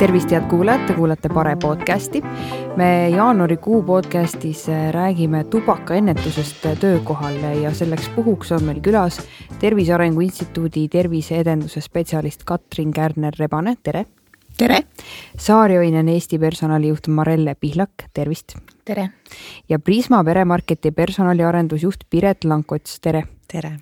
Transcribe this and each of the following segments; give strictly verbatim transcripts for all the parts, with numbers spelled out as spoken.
Tervist head kuulajad, te kuulate Pare podcasti. Me jaanuarikuu podcastis räägime tubakaennetusest töökohal ja selleks puhuks on meil külas Tervise Arengu Instituudi terviseedenduse spetsialist Katrin Kärner-Rebane, tere! Tere! Saarjoinen Eesti personalijuht Marelle Pihlak, tervist! Tere! Ja Prisma peremarketi personaliarendusjuht Piret Lankots, tere! Tere!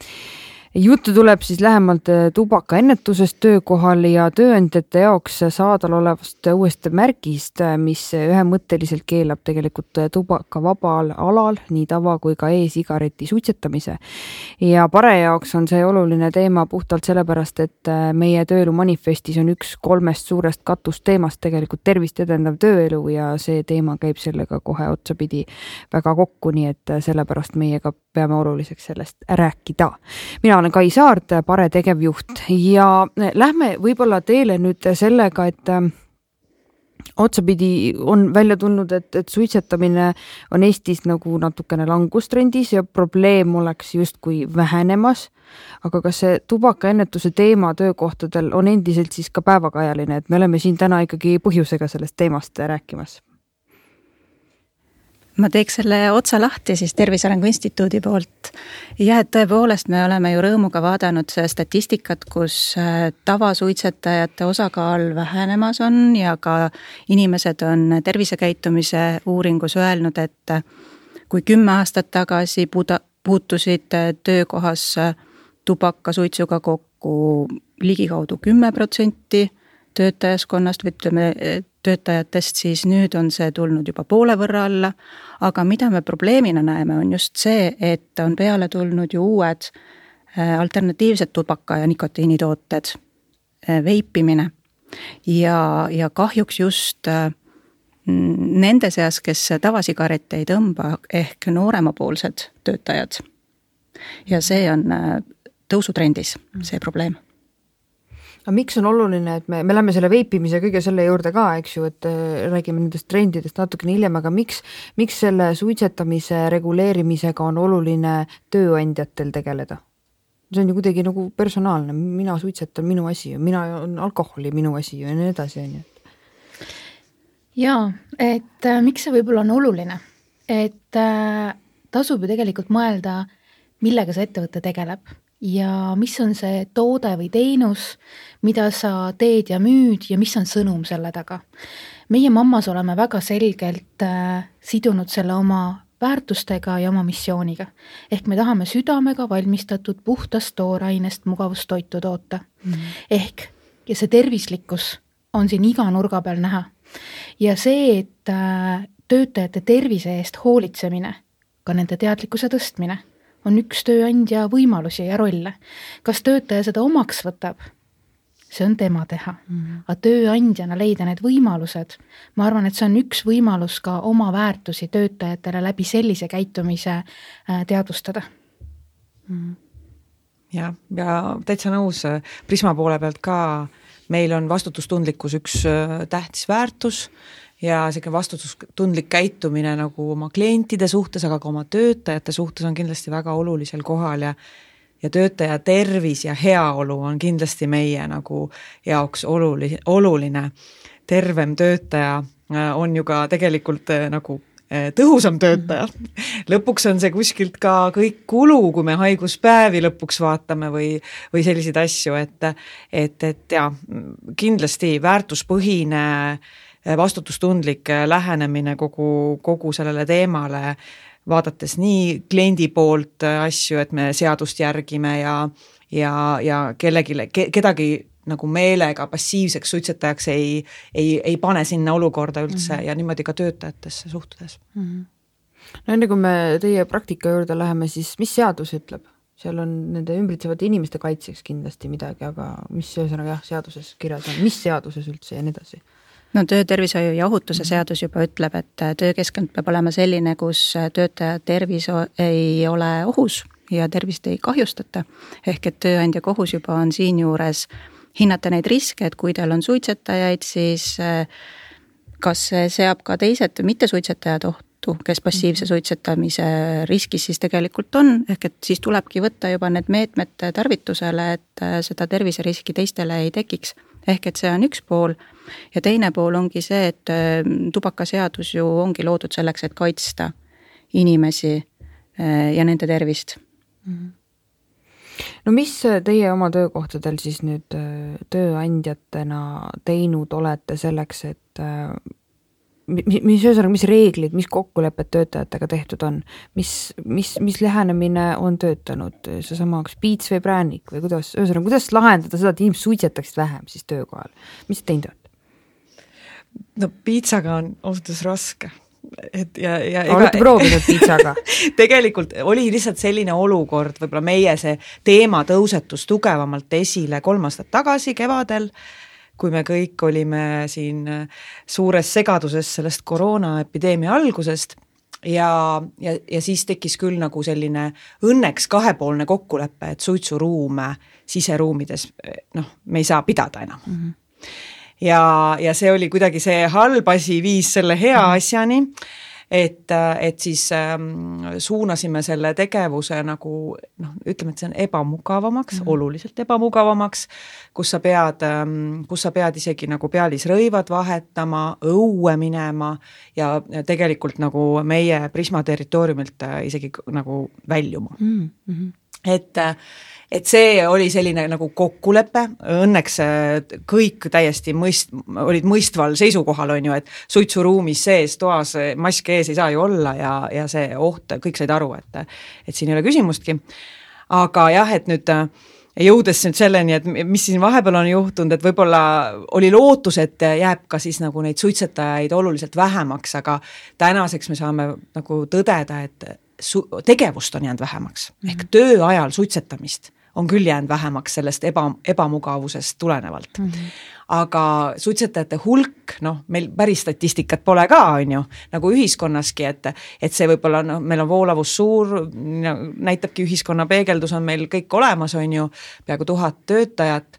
Juttu tuleb siis lähemalt tubakaennetusest töökohal ja tööandjate jaoks saadal olevast uuest märgist, mis ühemõtteliselt keelab tegelikult tubaka vabal alal, nii tava kui ka e-sigareti suitsetamise. Ja Pare jaoks on see oluline teema puhtalt sellepärast, et meie tööelu manifestis on üks kolmest suurest katusteemast tegelikult tervist edendav tööelu ja see teema käib sellega kohe otsapidi väga kokku, nii et sellepärast meiega peame oluliseks sellest rääkida. Mina olen Kai Saart, Pare tegevjuht ja lähme võib-olla teele nüüd sellega, et otsapidi on välja tulnud, et, et suitsetamine on Eestis nagu natukene langustrendis ja probleem oleks justkui vähenemas, aga kas see tubakaennetuse teema töökohtadel on endiselt siis ka päevakajaline, et me oleme siin täna ikkagi põhjusega sellest teemast rääkimas? Ma teeks selle otsa lahti siis Tervise Arengu Instituudi poolt. Ja et tõepoolest me oleme ju rõõmuga vaadanud statistikat, kus tavasuitsetajate osakaal vähenemas on ja ka inimesed on tervisekäitumise uuringus öelnud, et kui kümme aastat tagasi puutusid töökohas tubakasuitsuga kokku ligikaudu kümme protsenti töötajaskonnast või ütleme töötajatest, siis nüüd on see tulnud juba poole võrra alla, aga mida me probleemina näeme on just see, et on peale tulnud ju uued alternatiivsed tubaka- ja nikotiinitooted, veipimine ja, ja kahjuks just nende seas, kes tavasigarette ei tõmba, ehk nooremapoolsed töötajad. Ja see on tõusutrendis, see probleem. Aga miks on oluline, et me, me lähme selle veipimise kõige selle juurde ka, eks ju, et räägime nendest trendidest natukene hiljem, aga miks, miks selle suitsetamise reguleerimisega on oluline tööandjatel tegeleda? See on ju kuidagi nagu personaalne, mina suitsetan minu asi, mina on alkoholi minu asi ja nii edasi. Jaa, et äh, miks see võib-olla on oluline? Et äh, tasub ju tegelikult mõelda, millega see ettevõte tegeleb. Ja mis on see toode või teenus, mida sa teed ja müüd ja mis on sõnum selle taga. Meie mammas oleme väga selgelt äh, sidunud selle oma väärtustega ja oma missiooniga. Ehk me tahame südamega valmistatud puhtast toorainest mugavustoitu toota. Mm-hmm. Ehk ja see tervislikkus on siin iga nurga peal näha. Ja see, et äh, töötajate tervise eest hoolitsemine, ka nende teadlikkuse tõstmine, on üks tööandja võimalusi ja rolle. Kas töötaja seda omaks võtab? See on tema teha. Mm-hmm. Aga tööandjana leida need võimalused. Ma arvan, et see on üks võimalus ka oma väärtusi töötajatele läbi sellise käitumise teadvustada. Mm-hmm. Ja, ja täitsa nõus Prisma poole pealt ka. Meil on vastutustundlikkus üks tähtis väärtus ja selline vastutustundlik käitumine nagu oma klientide suhtes, aga ka oma töötajate suhtes on kindlasti väga olulisel kohal ja, ja töötaja tervis ja heaolu on kindlasti meie nagu jaoks oluline, oluline. Tervem töötaja on ju ka tegelikult nagu tõhusam töötaja. Lõpuks on see kuskilt ka kõik kulu, kui me haiguspäevi lõpuks vaatame või, või selliseid asju, et, et, et ja, kindlasti väärtuspõhine vastutustundlik lähenemine kogu, kogu sellele teemale, vaadates nii kliendi poolt asju, et me seadust järgime ja, ja, ja kellegile, kedagi nagu meelega passiivseks suitsetajaks ei, ei, ei pane sinna olukorda üldse mm-hmm. ja niimoodi ka töötajatesse suhtudes. Mm-hmm. No enne kui me teie praktika juurde läheme, siis mis seadus ütleb? Seal on nende ümbritsevate inimeste kaitseks kindlasti midagi, aga mis ühesõnaga jah, seaduses kirjas on? Mis seaduses üldse ja nii edasi? No töötervishoiu ja ohutuse seadus juba ütleb, et töökeskkond peab olema selline, kus töötaja tervis ei ole ohus ja tervist ei kahjustata. Ehk et tööandja kohus juba on siin juures hinnata neid riske, et kui teil on suitsetajaid, siis kas see seab ka teised mitte suitsetajad ohtu tõttu, kes passiivse suitsetamise riskis siis tegelikult on, ehk et siis tulebki võtta juba need meetmed tarvitusele, et seda terviseriski teistele ei tekiks. Ehk et see on üks pool ja teine pool ongi see, et tubakaseadus ju ongi loodud selleks, et kaitsta inimesi ja nende tervist. No mis teie oma töökohtadel siis nüüd tööandjatena teinud olete selleks, et mis, mis, mis reeglid, mis kokkulepped töötajatega tehtud on, mis, mis, mis lähenemine on töötanud, see sama piits või präänik või kuidas, ühesõnaga, kuidas lahendada seda, et inimesed suitsetaksid vähem siis töökohal? Mis te teinud olete? No piitsaga on ausalt raske. Et ja, ja olete proovinud piitsaga? Tegelikult oli lihtsalt selline olukord, võib-olla meie see teema tõusetus tugevamalt esile kolm aastat tagasi kevadel, kui me kõik olime siin suures segaduses sellest koroonaepideemia algusest ja, ja, ja siis tekkis küll nagu selline õnneks kahepoolne kokkulepe, et suitsuruume siseruumides, noh, me ei saa pidada enam. Mm-hmm. Ja, ja see oli kuidagi see halb asi viis selle hea asjani, et, et siis ähm, suunasime selle tegevuse nagu, noh, ütleme, et see on ebamugavamaks, mm-hmm. oluliselt ebamugavamaks, kus sa pead, ähm, kus sa pead isegi nagu pealisrõivad vahetama, õue minema ja, ja tegelikult nagu meie Prisma territooriumilt isegi nagu väljuma. Mm-hmm. Et et see oli selline nagu kokkulepe, õnneks kõik täiesti mõist, olid mõistval seisukohal, on ju, et suitsuruumis sees, toas, maske ees ei saa ju olla ja, ja see oht, kõik said aru, et, et siin ei ole küsimustki. Aga jah, et nüüd jõudes nüüd selleni, et mis siin vahepeal on juhtunud, et võib-olla oli lootus, et jääb ka siis nagu neid suitsetajaid oluliselt vähemaks, aga tänaseks me saame nagu tõdeda, et su- tegevust on jäänud vähemaks. Mm-hmm. Ehk töö ajal suitsetamist on küll jäänud vähemaks sellest eba, ebamugavusest tulenevalt. Mm-hmm. Aga suitsetajate hulk, noh, meil päris statistikat pole ka, on ju, nagu ühiskonnaski, et, et see võib-olla, no, meil on voolavus suur, näitabki ühiskonna peegeldus on meil kõik olemas, on ju, peaaegu tuhat töötajat,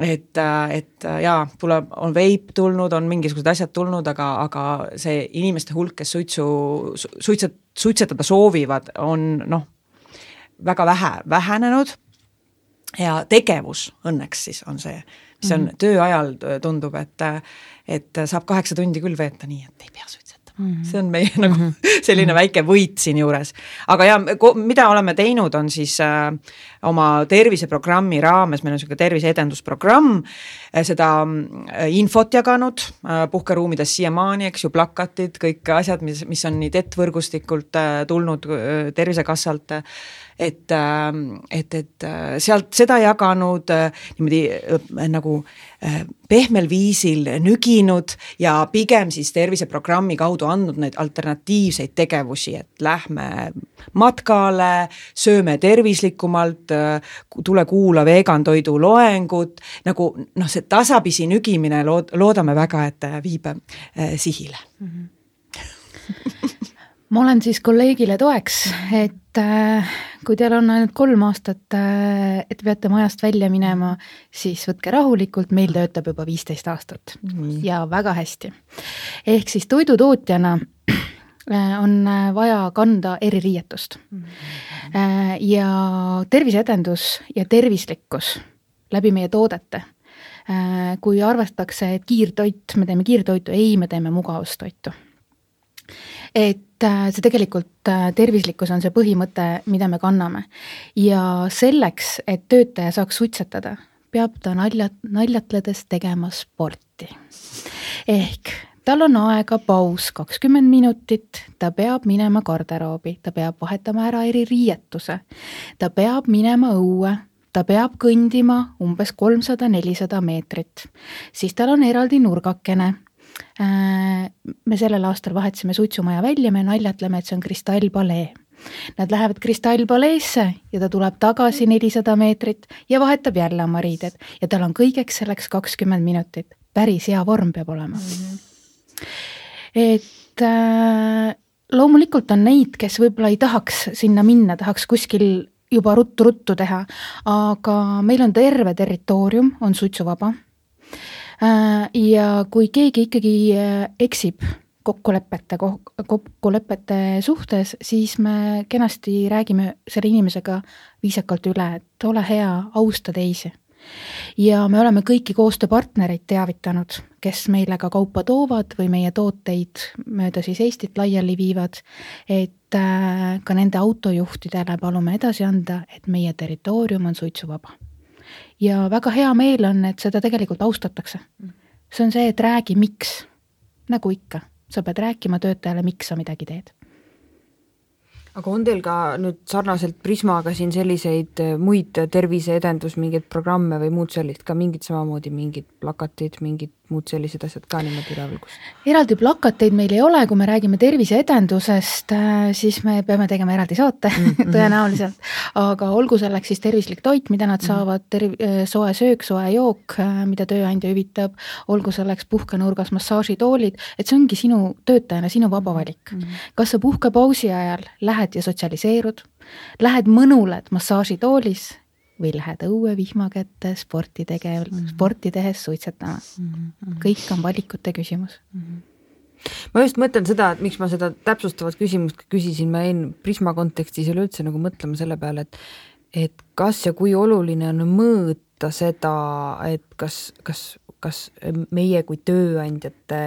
et, et jaa, tuleb, on veip tulnud, on mingisugused asjad tulnud, aga, aga see inimeste hulk, kes suitsu, suitset, suitsetada soovivad, on, noh, väga vähe vähenenud ja tegevus õnneks siis on see, mis on mm-hmm. töö ajal tundub, et, et saab kaheksa tundi küll veeta nii, et ei pea suitsetama. Mm-hmm. See on meie nagu mm-hmm. selline väike võit siin juures. Aga ja, mida oleme teinud, on siis äh, oma terviseprogrammi raames, meil on selline terviseedendusprogramm, äh, seda äh, infot jaganud äh, puhkeruumides siiamaani, eks ju, plakatid, kõik asjad, mis, mis on nii T E T-võrgustikult äh, tulnud äh, Tervisekassalt, äh, et, et, et sealt seda jaganud niimoodi nagu pehmel viisil nüginud ja pigem siis terviseprogrammi kaudu andnud neid alternatiivseid tegevusi, et lähme matkale, sööme tervislikumalt, tule kuula vegantoidu loengut, nagu noh, see tasapisi nügimine lood, loodame väga, et viib sihile. Mm-hmm. Ma olen siis kolleegile toeks, et äh, kui teil on ainult kolm aastat, äh, et peate majast välja minema, siis võtke rahulikult, meil töötab juba viisteist aastat mm. ja väga hästi. Ehk siis toidutootjana äh, on vaja kanda eririietust mm. äh, ja terviseedendus ja tervislikkus läbi meie toodete. Äh, kui arvatakse, et kiirtoit, me teeme kiirtoitu, ei, me teeme mugavustoitu. Et see tegelikult tervislikkus on see põhimõte, mida me kanname. Ja selleks, et töötaja saaks suitsetada, peab ta naljat, naljatledes tegema sporti. Ehk tal on aega paus kakskümmend minutit, ta peab minema garderoobi, ta peab vahetama ära eri riietuse, ta peab minema õue, ta peab kõndima umbes kolmsada nelisada meetrit, siis tal on eraldi nurgakene. Me sellel aastal vahetasime suitsumaja välja, me naljatleme, et see on kristallpalee. Nad lähevad kristallpaleesse ja ta tuleb tagasi nelisada meetrit ja vahetab jälle oma riided ja tal on kõigeks selleks kakskümmend minutit. Päris hea vorm peab olema. Mm-hmm. Et äh, loomulikult on neid, kes võib-olla ei tahaks sinna minna, tahaks kuskil juba ruttu-ruttu teha, aga meil on terve territoorium, on suitsuvaba. Ja kui keegi ikkagi eksib kokkulepete, kokkulepete suhtes, siis me kenasti räägime selle inimesega viisakalt üle, et ole hea, austa teisi. Ja me oleme kõiki koostööpartnereid teavitanud, kes meile ka kaupa toovad või meie tooteid mööda siis Eestit laiali viivad, et ka nende autojuhtidele palume edasi anda, et meie territoorium on suitsuvaba. Ja väga hea meel on, et seda tegelikult austatakse. See on see, et räägi miks, nagu ikka. Sa pead rääkima töötajale, miks sa midagi teed. Aga on teil ka nüüd sarnaselt Prismaga siin selliseid muid terviseedendus, mingeid programme või muud sellist, ka mingid samamoodi mingid plakatid, mingid muud sellised asjad ka niimoodi üleval? Eraldi plakateid meil ei ole, kui me räägime terviseedendusest, siis me peame tegema eraldi saate mm-hmm. tõenäoliselt, aga olgu selleks siis tervislik toit, mida nad saavad, terv- soe söök, soe jook, mida tööandja hüvitab, olgu selleks puhkenurgas massaažitoolid, et see ongi sinu töötajana, sinu vaba valik. Mm-hmm. Kas sa puhkepausi ajal lähed ja sotsialiseerud, lähed mõnuled massaažitoolis või lähed õue vihma kätte sporti tegev, mm-hmm. sporti tehes suitsetama. Mm-hmm. Kõik on valikute küsimus. Mm-hmm. Ma just mõtlen seda, et miks ma seda täpsustavat küsimust küsisin, ma jäin Prisma kontekstis üleüldse nagu mõtlema selle peale, et, et kas ja kui oluline on mõõta seda, et kas, kas kas meie kui tööandjate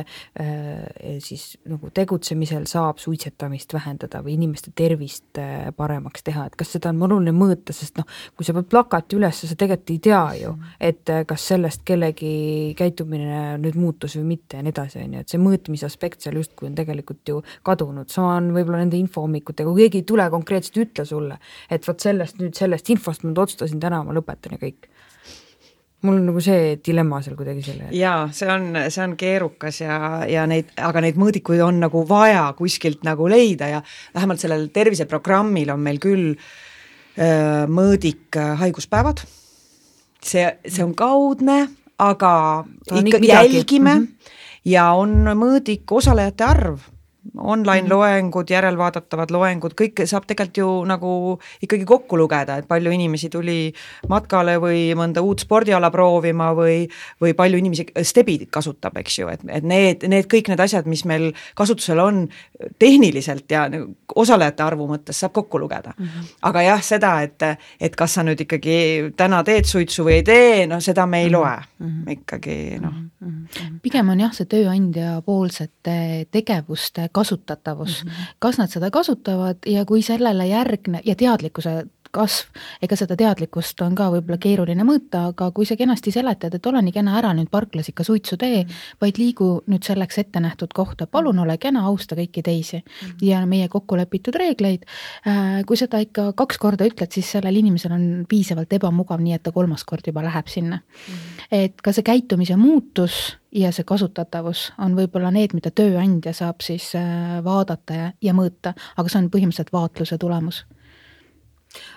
siis nagu tegutsemisel saab suitsetamist vähendada või inimeste tervist paremaks teha, et kas seda on oluline mõõta, sest noh, kui sa pead plakati üles, sa tegelikult ei tea ju, et kas sellest kellegi käitumine nüüd muutus või mitte ja nii edasi, on ju, et see mõõtmise aspekt seal justkui on tegelikult ju kadunud, sama on võib-olla nende infohommikutega, kui keegi ei tule konkreetselt ütle sulle, et võt sellest nüüd sellest infost ma otsustasin täna, ma lõpetan ja kõik. Mul on nagu see dilemma seal kuidagi selle. Jaa, see on, see on keerukas ja, ja neid, aga neid mõõdikuid on nagu vaja kuskilt nagu leida ja vähemalt sellel terviseprogrammil on meil küll öö, mõõdik haiguspäevad. See, see on kaudne, aga ikka jälgime mm-hmm. ja on mõõdik osalejate arv. Online mm-hmm. loengud, järelvaadatavad loengud, kõik saab tegelikult ju nagu ikkagi kokku lugeda, et palju inimesi tuli matkale või mõnda uut spordiala proovima või, või palju inimesi stebid kasutab, eks ju, et, et need, need kõik need asjad, mis meil kasutusel on tehniliselt ja osalejate arvu mõttes saab kokku lugeda. Mm-hmm. Aga jah, seda, et, et kas sa nüüd ikkagi täna teed suitsu või ei tee, no seda me ei loe mm-hmm. ikkagi, noh. Mm-hmm. Pigem on jah, see tööandja poolsete tegevuste kasutatavus, mm-hmm. kas nad seda kasutavad ja kui sellele järgne ja teadlikkuse kasv, ega seda teadlikkust on ka võib-olla keeruline mõõta, aga kui sa kenasti seletad, et ole nii kena ära nüüd parklas ikka suitsu tee, vaid liigu nüüd selleks ette nähtud kohta, palun ole kena, austa kõiki teisi mm-hmm. ja meie kokkulepitud reegleid, kui seda ikka kaks korda ütled, siis sellel inimesel on piisavalt ebamugav, nii et ta kolmas kord juba läheb sinna. Mm-hmm. Et ka see käitumise muutus ja see kasutatavus on võib-olla need, mida tööandja saab siis vaadata ja, ja mõõta, aga see on põhimõtteliselt vaatluse tulemus.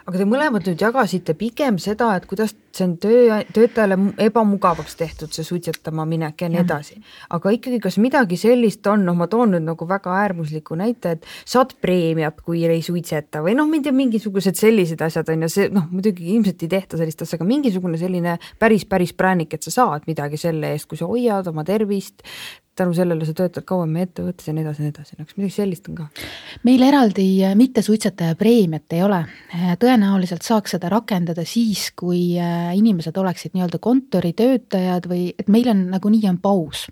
Aga te mõlemad nüüd jagasite pigem seda, et kuidas see on töö, töötajale ebamugavaks tehtud, see suitsetama minek ja nii edasi. Aga ikkagi, kas midagi sellist on, noh ma toon nüüd nagu väga äärmusliku näite, et saad preemiat, kui ei suitseta või noh, mind ja mingisugused sellised asjad on ja see, noh muidugi ilmselt ei tehta sellist asja, aga mingisugune selline päris, päris präänik, et sa saad midagi selle eest, kui sa hoiad oma tervist, tänu sellele sa töötad kauem ettevõttes ja nii edasi, nii edasi. Kas midagi sellist on ka? Meil eraldi mitte suitsetaja preemiat ei ole. Tõenäoliselt saaks seda rakendada siis, kui inimesed oleksid nii-öelda kontoritöötajad või et meil on nagu nii on paus.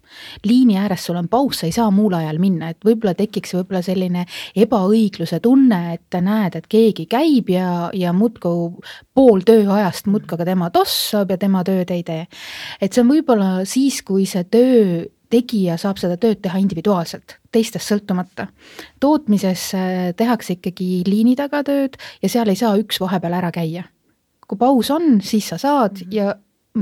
Liini ääres sul on paus, sa ei saa muul ajal minna, et võib-olla tekiks võib-olla selline ebaõigluse tunne, et näed, et keegi käib ja, ja mutku pool tööajast mutkaga tema tossab ja tema tööd ei tee. Et see on võib-olla siis, kui see töö tegija saab seda tööd teha individuaalselt, teistest sõltumata. Tootmises tehakse ikkagi liini taga tööd ja seal ei saa üks vahepeal ära käia. Kui paus on, siis sa saad ja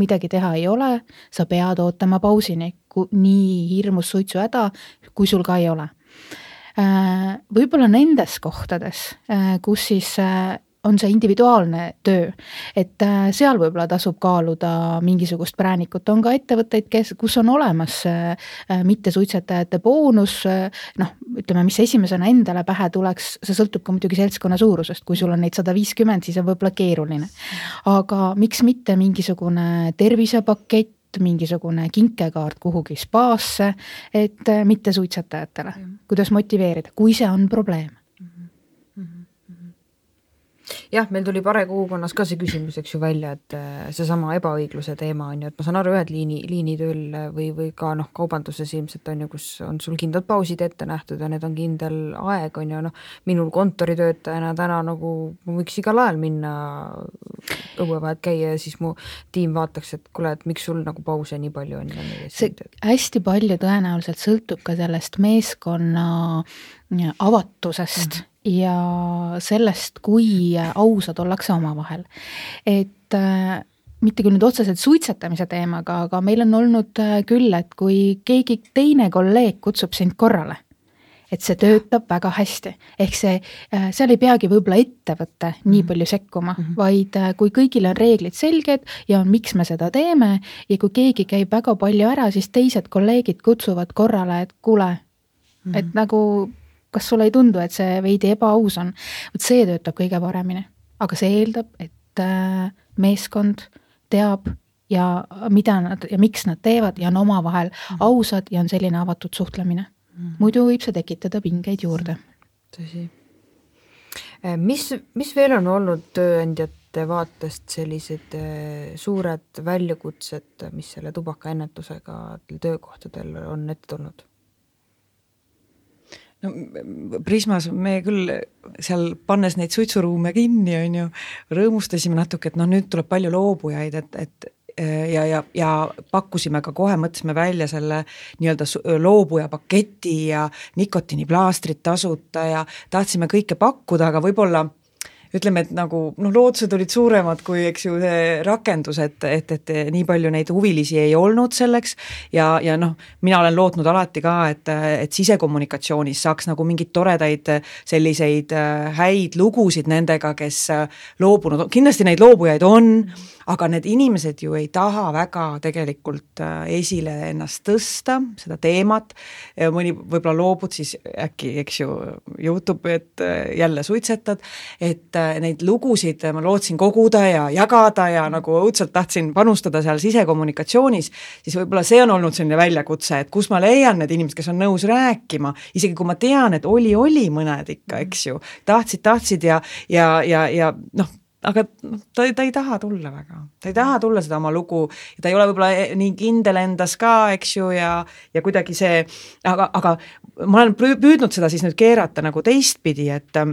midagi teha ei ole, sa pead ootama pausini, nii hirmus suitsu häda, kui sul ka ei ole. Võib-olla nendes kohtades, kus siis on see individuaalne töö, et seal võib-olla tasub kaaluda mingisugust präänikut. On ka ettevõtteid, kes, kus on olemas mitte suitsetajate boonus, noh, ütleme, mis esimesena endale pähe tuleks, see sõltub ka muidugi seltskonna suurusest, kui sul on neid sada viiskümmend, siis on võib-olla keeruline. Aga miks mitte mingisugune tervisepakett, mingisugune kinkekaart kuhugi spaasse, et mitte suitsetajatele. Kuidas motiveerida, kui see on probleem? Jah, meil tuli Pare kogukonnas ka see küsimus, eks ju välja, et see sama ebaõigluse teema on ju, et ma saan aru ühed liini, liinitööl või, või ka noh, kaubanduses ilmselt on ju, kus on sul kindlad pausid ette nähtud ja need on kindel aeg on ju, noh, minul kontoritöötajana täna nagu ma võiks igal ajal minna õuevahet käia ja siis mu tiim vaataks, et kuule, et miks sul nagu pause nii palju on. See hästi palju tõenäoliselt sõltub ka sellest meeskonna avatusest mm-hmm. ja sellest, kui ausad ollakse omavahel. Et äh, mitte küll nüüd otseselt suitsetamise teemaga, aga meil on olnud küll, et kui keegi teine kolleeg kutsub sind korrale, et see töötab väga hästi. Ehk see, äh, seal ei peagi võib-olla ettevõtte nii palju sekkuma, mm-hmm. vaid äh, kui kõigil on reeglid selged ja on, miks me seda teeme ja kui keegi käib väga palju ära, siis teised kolleegid kutsuvad korrale, et kuule, mm-hmm. et nagu kas sulle ei tundu, et see veidi ebaaus on? Võt see töötab kõige paremini, aga see eeldab, et meeskond teab ja mida nad ja miks nad teevad ja on omavahel ausad ja on selline avatud suhtlemine. Muidu võib see tekitada pingeid juurde. Tõsi. Mis, mis veel on olnud tööandjate vaatest sellised suured väljakutsed, mis selle tubakaennetusega töökohtadel on ette tulnud? No, Prismas me küll seal pannes neid suitsuruume kinni, on ju, rõõmustasime natuke, et no nüüd tuleb palju loobujaid, et, et ja, ja, ja pakkusime ka kohe, mõtlesime välja selle nii-öelda loobuja paketi ja nikotiiniplaastrit tasuta ja tahtsime kõike pakkuda, aga võib-olla ütleme, et nagu noh, lootused olid suuremad kui eks ju see rakendus, et, et, et nii palju neid huvilisi ei olnud selleks ja, ja noh, mina olen lootnud alati ka, et, et sisekommunikatsioonis saaks nagu mingid toredaid selliseid häid lugusid nendega, kes loobunud, kindlasti neid loobujaid on, aga need inimesed ju ei taha väga tegelikult esile ennast tõsta, seda teemat, mõni võib-olla loobud, siis äkki, eks ju, juhtub, et jälle suitsetad, et neid lugusid ma lootsin koguda ja jagada ja nagu õudselt tahtsin panustada seal sisekommunikatsioonis, siis võib-olla see on olnud selline väljakutse, et kus ma leian need inimesed, kes on nõus rääkima, isegi kui ma tean, et oli, oli mõned ikka, eks ju, tahtsid, tahtsid ja, ja, ja, ja noh, aga ta, ta ei taha tulla väga, ta ei taha tulla seda oma lugu ja ta ei ole võib-olla nii kindel endas ka, eks ju, ja, ja kuidagi see, aga, aga ma olen püüdnud seda siis nüüd keerata nagu teistpidi, et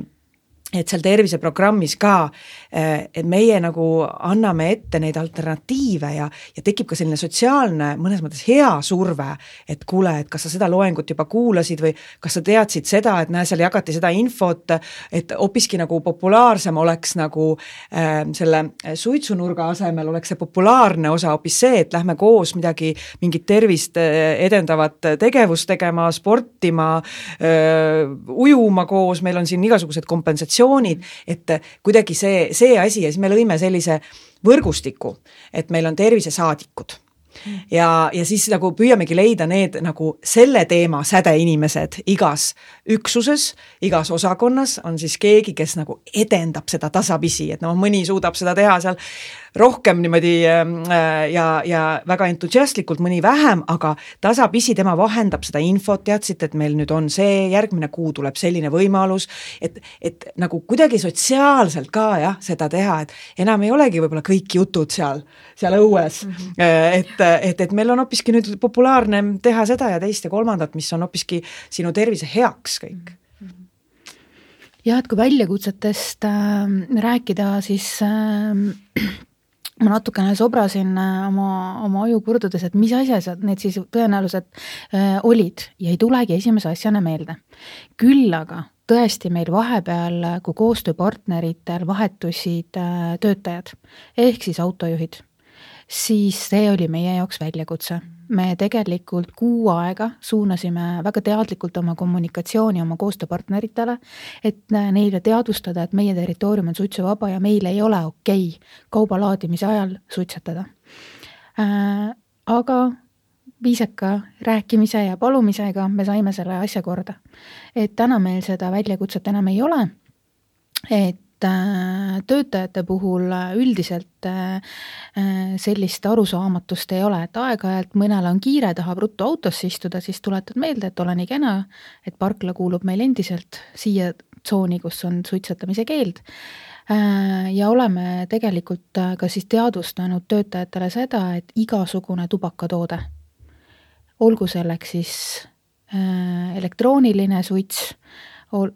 et seal terviseprogrammis ka, et meie nagu anname ette neid alternatiive ja, ja tekib ka selline sotsiaalne, mõnes mõttes hea surve, et kuule, et kas sa seda loengut juba kuulasid või kas sa teadsid seda, et näe, seal jagati seda infot, et hoopiski nagu populaarsem oleks nagu äh, selle suitsunurga asemel oleks see populaarne osa hoopis see, et lähme koos midagi, mingit tervist edendavat tegevust tegema, sportima, äh, ujuma koos, meil on siin igasugused kompensatsioonid, et kuidagi see, see asi ja siis me lõime sellise võrgustiku, et meil on tervisesaadikud ja, ja siis nagu püüamegi leida need nagu selle teema säde inimesed igas üksuses, igas osakonnas on siis keegi, kes nagu edendab seda tasapisi, et no mõni suudab seda teha seal rohkem niimoodi ja, ja väga entusiastlikult, mõni vähem, aga tasapisi tema vahendab seda infot, teadsite, et meil nüüd on see, järgmine kuu tuleb selline võimalus, et, et nagu kuidagi sotsiaalselt ka jah, seda teha, et enam ei olegi võib-olla kõik jutud seal, seal õues, mm-hmm. et, et, et meil on hoopiski nüüd populaarne teha seda ja teist ja kolmandat, mis on hoopiski sinu tervise heaks kõik. Ja, et kui väljakutsetest äh, rääkida, siis äh, ma natukene sobrasin oma, oma aju kurdudes, et mis asjad need siis tõenäoliselt äh, olid ja ei tulegi esimese asjana meelde. Küll aga tõesti meil vahepeal, kui koostööpartneritel vahetusid äh, töötajad ehk siis autojuhid, siis see oli meie jaoks väljakutse. Me tegelikult kuu aega suunasime väga teadlikult oma kommunikatsiooni oma koostööpartneritele, et neile teadvustada, et meie territoorium on suitsuvaba ja meil ei ole okei kauba laadimise ajal suitsetada. Äh, aga viisaka rääkimise ja palumisega me saime selle asja korda. Et täna meil seda väljakutset enam ei ole, et töötajate puhul üldiselt sellist arusaamatust ei ole, et aeg-ajalt mõnel on kiire, tahab ruttu autosse istuda, siis tuletad meelde, et ole nii kena, et parkla kuulub meil endiselt siia tsooni, kus on suitsetamise keeld. Ja oleme tegelikult ka siis teadvustanud töötajatele seda, et igasugune tubakatoode, olgu selleks siis elektrooniline suits,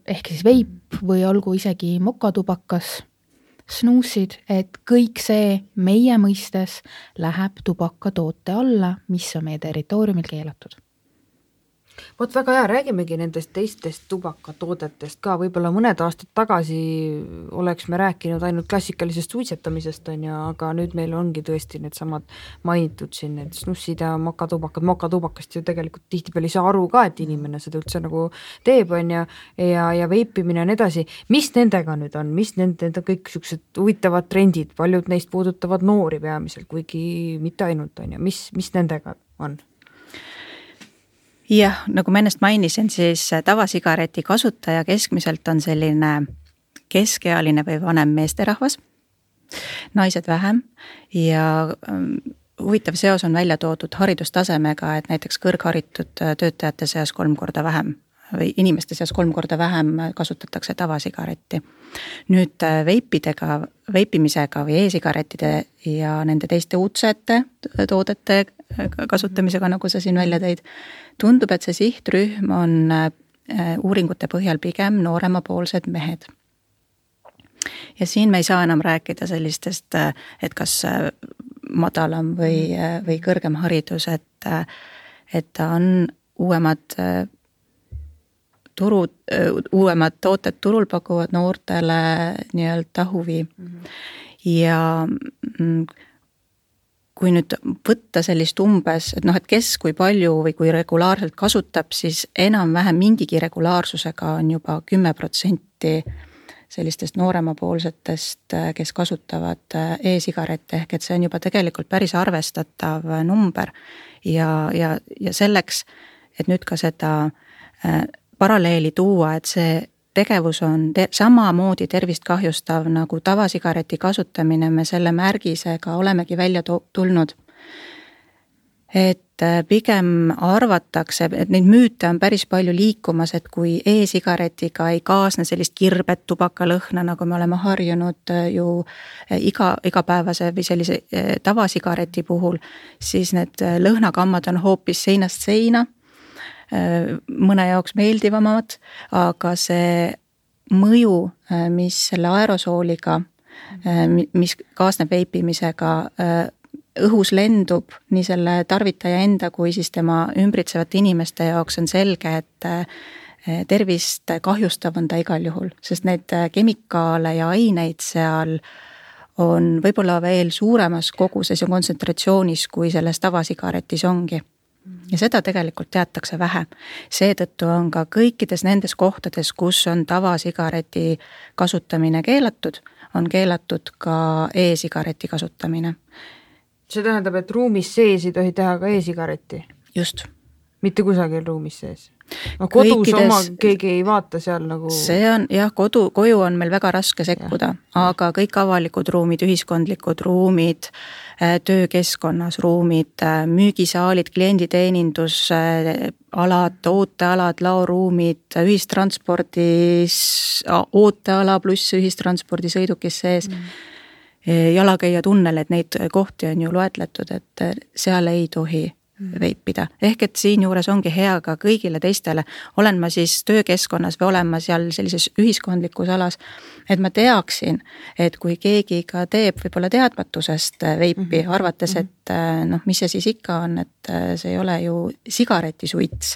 ehk siis veip või olgu isegi mokatubakas, snuusid, et kõik see meie mõistes läheb tubakatoote alla, mis on meie territooriumil keelatud. Vot väga hea, räägimegi nendest teistest tubakatoodetest ka, võib-olla mõned aastad tagasi oleks me rääkinud ainult klassikalisest suitsetamisest, on ja, aga nüüd meil ongi tõesti need samad mainitud siin, need snussid ja mokatubakad, mokatubakast ju tegelikult tihtipeale ei saa aru ka, et inimene seda üldse nagu teeb, on ja, ja, ja veipimine on edasi. Mis nendega nüüd on, mis nende, nende kõik sellised huvitavad trendid, paljud neist puudutavad noori peamiselt, kuigi mitte ainult, on ja, mis, mis nendega on? Jah, nagu ma ennast mainisin, siis tavasigareti kasutaja keskmiselt on selline keskealine või vanem meesterahvas, naised vähem ja huvitav seos on välja toodud haridustasemega, et näiteks kõrgharitud töötajate seas kolm korda vähem või inimeste seas kolm korda vähem kasutatakse tavasigaretti. Nüüd veipidega, veipimisega või e-sigarettide ja nende teiste uudsete toodete kasutamisega, nagu sa siin välja tõid, tundub, et see sihtrühm on uuringute põhjal pigem nooremapoolsed mehed. Ja siin me ei saa enam rääkida sellistest, et kas madalam või, või kõrgem haridus, et, et ta on uuemad turud, uuemad tooted turul pakuvad noortele nii-öelda huvi. Mm-hmm. Ja kui nüüd võtta sellist umbes, et noh, et kes kui palju või kui regulaarselt kasutab, siis enam-vähem mingigi regulaarsusega on juba kümme protsenti sellistest nooremapoolsetest, kes kasutavad e-sigarette, ehk et see on juba tegelikult päris arvestatav number ja, ja, ja selleks, et nüüd ka seda paralleeli tuua, et see tegevus on te- samamoodi tervist kahjustav nagu tavasigareti kasutamine, me selle märgisega olemegi välja to- tulnud. Et pigem arvatakse, et neid müüte on päris palju liikumas, et kui e-sigaretiga ei kaasne sellist kirbet tubakalõhna, nagu me oleme harjunud ju iga, igapäevase või sellise tavasigareti puhul, siis need lõhnakammad on hoopis seinast seina, mõne jaoks meeldivamad, aga see mõju, mis selle aerosooliga, mis kaasneb veipimisega, õhus lendub nii selle tarvitaja enda kui siis tema ümbritsevate inimeste jaoks on selge, et tervist kahjustav on ta igal juhul, sest need kemikaale ja aineid seal on võib-olla veel suuremas koguses ja kontsentratsioonis, kui selles tavasigaretis ongi. Ja seda tegelikult teatakse vähe. Seetõttu on ka kõikides nendes kohtades, kus on tavasigareti kasutamine keelatud, on keelatud ka e-sigareti kasutamine. See tähendab, et ruumis sees ei tohi teha ka e-sigaretti? Just. Mitte kusagil ruumis sees? No, kodus kõikides, oma keegi ei vaata seal nagu... See on, jah, kodu, koju on meil väga raske sekkuda, ja. Aga kõik avalikud ruumid, ühiskondlikud ruumid, töökeskkonnas ruumid, müügisaalid, klienditeenindus, alad, ootealad, laoruumid, ühistranspordis, ooteala pluss ühistranspordi sõidukis sees, mm. jalakäija tunnel, et neid kohti on ju loetletud, et seal ei tohi veipida. Ehk et siin juures ongi hea ka kõigile teistele, olen ma siis töökeskkonnas või olen ma seal sellises ühiskondlikus alas, et ma teaksin, et kui keegi ka teeb võib-olla teadmatusest veipi, mm-hmm. arvates, et noh, mis see siis ikka on, et see ei ole ju sigaretisuits.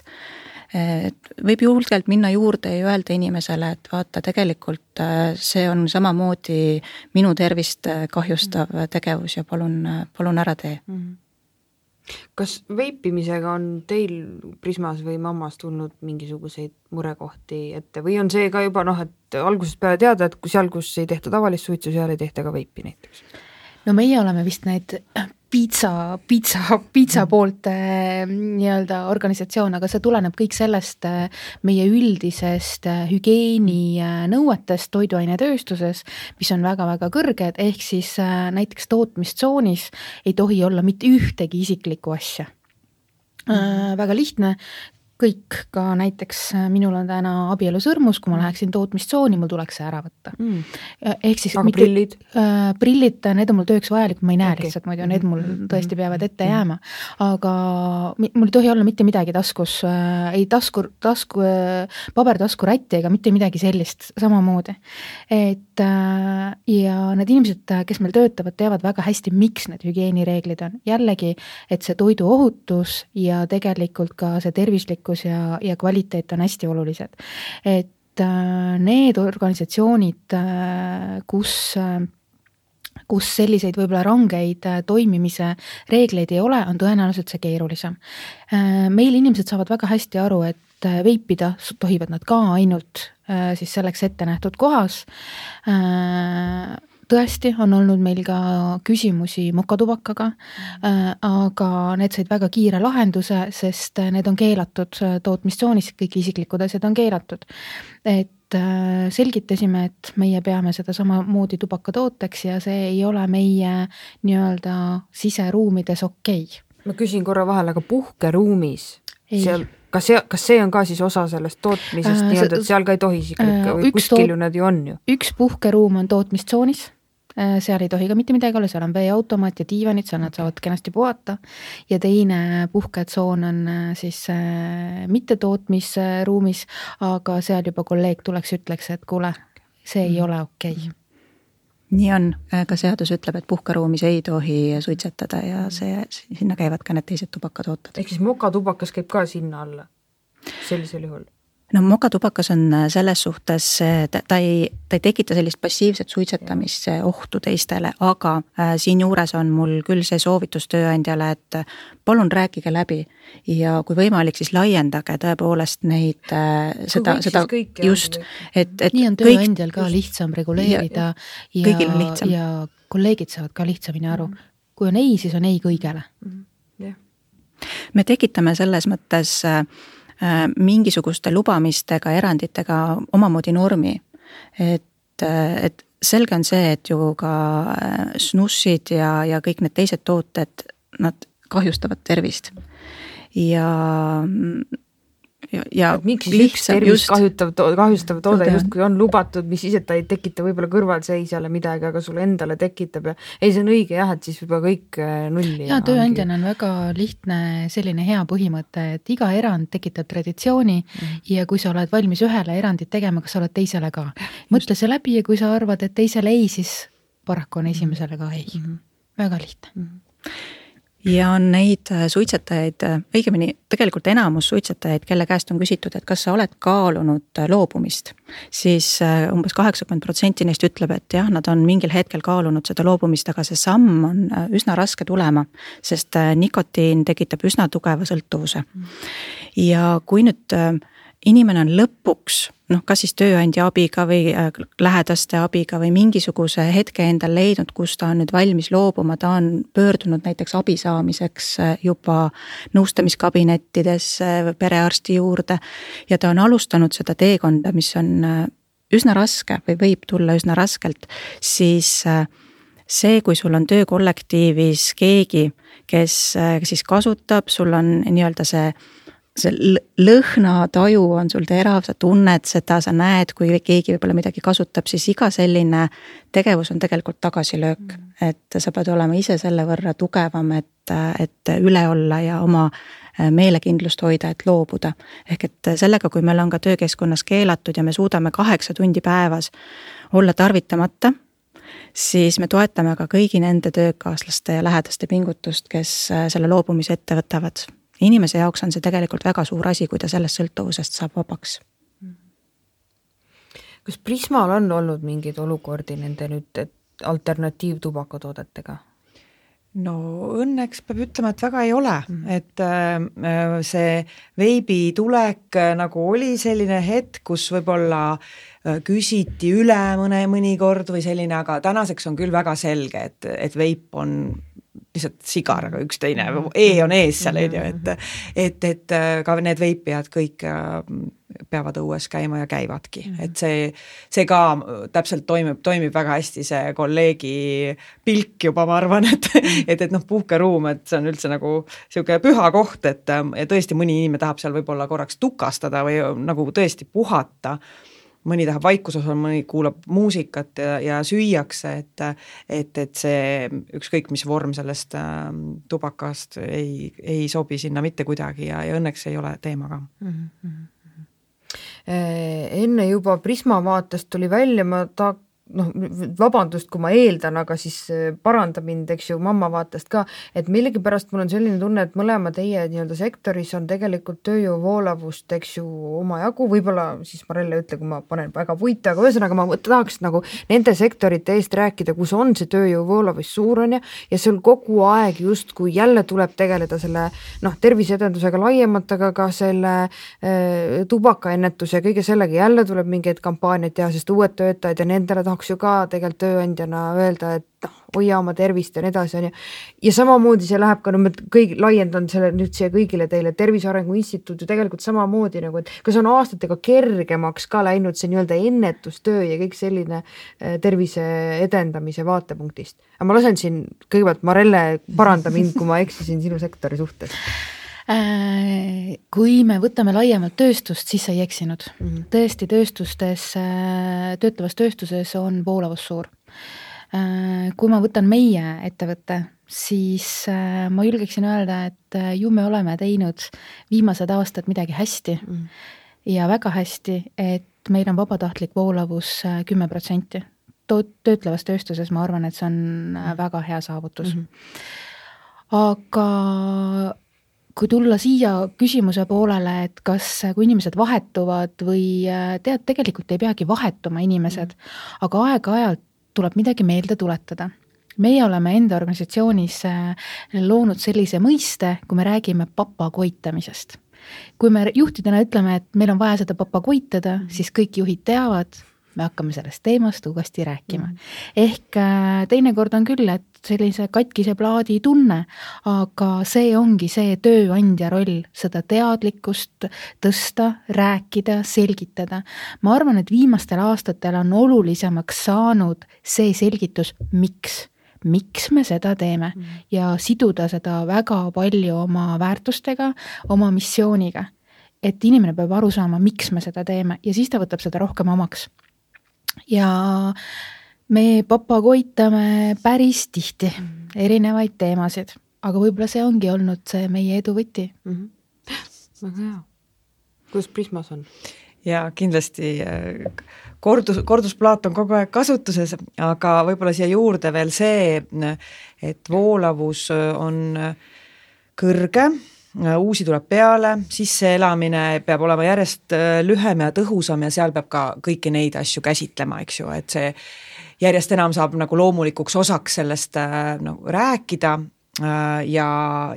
Et võib julgelt minna juurde ja öelda inimesele, et vaata, tegelikult see on samamoodi minu tervist kahjustav tegevus ja palun, palun ära tee. Mm-hmm. Kas veipimisega on teil Prismas või mammas tulnud mingisuguseid murekohti ette või on see ka juba noh, et algusest peale teada, et kui seal, kus ei tehta tavalist suitsu, seal ei tehta ka veipi näiteks? No meie oleme vist neid piitsa, piitsa, piitsa poolt nii-öelda organisatsioon, aga see tuleneb kõik sellest meie üldisest hügieeni nõuetest toiduainetööstuses, mis on väga-väga kõrged, ehk siis näiteks tootmistsoonis ei tohi olla mitte ühtegi isiklikku asja. Mm. Väga lihtne, kõik, ka näiteks minul on täna abielusõrmus, kui ma läheksin tootmistsooni, mul tuleks see ära võtta. Mm. Ehk siis aga mitte, prillid? Äh, prillid, need on mul tööks vajalik, ma ei näe okay. lihtsalt, muidu need mul tõesti peavad ette jääma. Aga mul ei tohi olla mitte midagi taskus, äh, ei tasku, tasku, äh, pabertasku rätti ega mitte midagi sellist samamoodi. Et äh, ja need inimesed, kes meil töötavad, teavad väga hästi, miks need hügieenireeglid on. Jällegi, et see toidu ohutus ja tegelikult ka see tervislikkus ja, ja kvaliteet on hästi olulised. Et äh, need organisatsioonid, äh, kus, äh, kus selliseid võib-olla rangeid äh, toimimise reegleid ei ole, on tõenäoliselt see keerulisem. Äh, meil inimesed saavad väga hästi aru, et äh, veipida tohivad nad ka ainult äh, siis selleks ette nähtud kohas. Äh, Tõesti on olnud meil ka küsimusi mokatubakaga, aga need said väga kiire lahenduse, sest need on keelatud tootmistsoonis, kõik isiklikud asjad on keelatud. Et selgitasime, et meie peame seda samamoodi tubakatooteks ja see ei ole meie nii-öelda siseruumides okei. Ma küsin korra vahel, aga puhkeruumis seal Kas see, kas see on ka siis osa sellest tootmisest, äh, nii-öelda, et seal ka ei tohi isiklikke või kuskil ju nad ju on ju? Üks puhkeruum on tootmistsoonis, seal ei tohi ka mitte midagi olla, seal on veeautomaat ja diivanid, seal nad saavad kenasti puhata ja teine puhketsoon on siis äh, mitte tootmisruumis, aga seal juba kolleeg tuleks ütleks, et kuule, see ei ole okei. Okay. Nii on, ka seadus ütleb, et puhkeruumis ei tohi suitsetada ja see, sinna käivad ka need teised tubakatooted. Ehk siis mokatubakas käib ka sinna alla sellisel juhul? No mokatubakas on selles suhtes, ta, ta, ei, ta ei tekita sellist passiivset suitsetamisse ohtu teistele, aga äh, siin juures on mul küll see soovitus tööandjale, et palun rääkige läbi ja kui võimalik, siis laiendage tõepoolest neid äh, seda, seda just, et, et nii on tööandjal kõik, ka lihtsam reguleerida ja, ja, lihtsam. ja kolleegid saavad ka lihtsamini aru. Kui on ei, siis on ei kõigele. Yeah. Me tekitame selles mõttes äh, mingisuguste lubamistega, eranditega omamoodi normi. Et, et selge on see, et ju ka snussid ja, ja kõik need teised tooted, nad kahjustavad tervist. Ja, ja, ja miks siis üks tervist kahjutav, kahjustav toode just kui on lubatud, mis ise ta ei tekita võib-olla kõrvalseisjale midagi, aga sulle endale tekitab ja ei, see on õige jah, et siis juba kõik nulli. Ja tööandjana on väga lihtne selline hea põhimõte, et iga erand tekitab traditsiooni mm. ja kui sa oled valmis ühele erandit tegema, kas sa oled teisele ka. Mõtle see läbi ja kui sa arvad, et teisele ei, siis paraku on esimesele ka ei. Mm. Väga lihtne. Mm. Ja on neid suitsetajaid, õigemini tegelikult enamus suitsetajaid, kelle käest on küsitud, et kas sa oled kaalunud loobumist, siis umbes kaheksakümmend protsenti neist ütleb, et jah, nad on mingil hetkel kaalunud seda loobumist, aga see samm on üsna raske tulema, sest nikotiin tekitab üsna tugeva sõltuvuse. Ja kui nüüd inimene on lõpuks, noh, kas siis tööandja abiga või lähedaste abiga või mingisuguse hetke endal leidnud, kus ta on nüüd valmis loobuma, ta on pöördunud näiteks abi saamiseks juba nõustamiskabinettides perearsti juurde ja ta on alustanud seda teekonda, mis on üsna raske või võib tulla üsna raskelt, siis see, kui sul on töökollektiivis keegi, kes siis kasutab, sul on nii-öelda see see lõhnataju on sul terav, sa tunned seda, sa näed, kui keegi võib-olla midagi kasutab, siis iga selline tegevus on tegelikult tagasilöök, mm. et sa pead olema ise selle võrra tugevam, et, et üle olla ja oma meelekindlust hoida, et loobuda. Ehk et sellega, kui meil on ka töökeskkonnas keelatud ja me suudame kaheksa tundi päevas olla tarvitamata, siis me toetame ka kõigi nende töökaaslaste ja lähedaste pingutust, kes selle loobumise ette võtavad. Inimese jaoks on see tegelikult väga suur asi, kui ta sellest sõltuvusest saab vabaks. Kas Prismal on olnud mingeid olukordi nende nüüd alternatiivtubakatoodetega? No õnneks peab ütlema, et väga ei ole, mm. et äh, see veibi tulek nagu oli selline hetk, kus võib-olla küsiti üle mõne mõnikord või selline, aga tänaseks on küll väga selge, et, et veip on lihtsalt sigar, aga üks teine, E on ees seal, et, et, et ka need veipijad kõik peavad õues käima ja käivadki, et see, see ka täpselt toimib, toimib väga hästi see kolleegi pilk juba, ma arvan, et, et, et noh, puhkeruum, et see on üldse nagu siuke püha koht, et ja tõesti mõni inimene tahab seal võib-olla korraks tukastada või nagu tõesti puhata, mõni tahab vaikuses olla, mõni kuulab muusikat ja, ja süüakse, et, et, et see ükskõik mis vorm sellest äh, tubakast ei, ei sobi sinna mitte kuidagi ja, ja õnneks ei ole teema ka. Mm-hmm. Enne juba Prisma vaatest tuli välja, ma ta noh, vabandust, kui ma eeldan, aga siis paranda mind, eks ju, mamma vaatest ka, et millegipärast mul on selline tunne, et mõlema teie nii-öelda sektoris on tegelikult tööjõu voolavust, eks ju, omajagu, võib-olla siis Marelle ütle, kui ma panen väga puite, aga ühesõnaga ma tahaks nagu nende sektorite eest rääkida, kus on see tööjõu voolavus suur on ja, ja seal kogu aeg just, kui jälle tuleb tegeleda selle noh, terviseedendusega laiemalt, aga ka selle äh, tubakaennetuse ja kõige sellega jälle tuleb mingeid kampaaniaid teha, sest uued töötajad ja nendele tahaks ju ka tegelikult tööandjana öelda, et noh, hoia oma tervist ja nii edasi on ja, ja samamoodi see läheb ka, no ma kõik laiendan selle nüüd siia kõigile teile, Tervise Arengu Instituut ju tegelikult samamoodi nagu, et kas on aastatega kergemaks ka läinud see nii-öelda ennetustöö ja kõik selline tervise edendamise vaatepunktist. Aga ma lasen siin kõigepealt Marelle paranda mind, kui ma eksisin sinu sektori suhtes. Kui me võtame laiemalt tööstust, siis sa ei eksinud. Mm-hmm. Tõesti, tööstustes, töötlevas tööstuses on voolavus suur. Kui ma võtan meie ettevõtte, siis ma julgeksin öelda, et ju me oleme teinud viimased aastad midagi hästi mm-hmm. ja väga hästi, et meil on vabatahtlik voolavus kümme protsenti. Töötlevas tööstuses ma arvan, et see on väga hea saavutus. Mm-hmm. Aga kui tulla siia küsimuse poolele, et kas, kui inimesed vahetuvad või tead, tegelikult ei peagi vahetuma inimesed, aga aeg-ajalt tuleb midagi meelde tuletada. Meie oleme enda organisatsioonis loonud sellise mõiste, kui me räägime papakoitamisest. Kui me juhtidena ütleme, et meil on vaja seda papakoitada, siis kõik juhid teavad, me hakkame sellest teemast uuesti rääkima. Mm. Ehk teinekord on küll, et sellise katkise plaadi tunne, aga see ongi see tööandja roll, seda teadlikkust tõsta, rääkida, selgitada. Ma arvan, et viimastel aastatel on olulisemaks saanud see selgitus, miks. Miks me seda teeme mm. ja siduda seda väga palju oma väärtustega, oma missiooniga. Et inimene peab aru saama, miks me seda teeme ja siis ta võtab seda rohkem omaks. Ja me papagoitame päris tihti erinevaid teemasid, aga võib-olla see ongi olnud see meie edu võti. Mm-hmm. Väga hea. Kuidas Prismas on? Ja kindlasti kordus, kordusplaat on kogu aeg kasutuses, aga võib-olla siia juurde veel see, et voolavus on kõrge, uusi tuleb peale, sisseelamine peab olema järjest lühem ja tõhusam ja seal peab ka kõiki neid asju käsitlema, eks ju, et see järjest enam saab nagu loomulikuks osaks sellest no, rääkida ja,